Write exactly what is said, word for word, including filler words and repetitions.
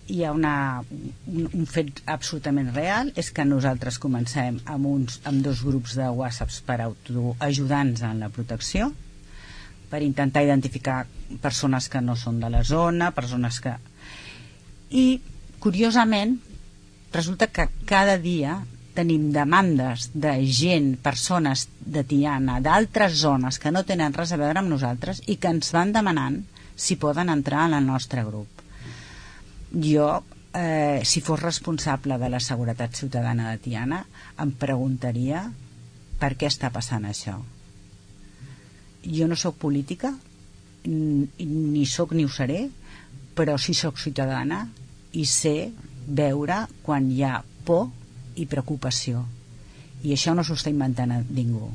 hi ha una, un, un fet absolutament real, és que nosaltres comencem amb, uns, amb dos grups de whatsapps per autoajudar-nos en la protecció, per intentar identificar persones que no són de la zona, persones que... I, curiosament, resulta que cada dia tenim demandes de gent, persones de Tiana, d'altres zones que no tenen res a veure amb nosaltres i que ens van demanant si poden entrar en el nostre grup. Jo, eh, si fos responsable de la seguretat ciutadana de Tiana, em preguntaria per què està passant això. Jo no sóc política, ni sóc ni ho seré, però sí sóc ciutadana i sé veure quan hi ha por i preocupació. I això no s'ho està inventant a ningú.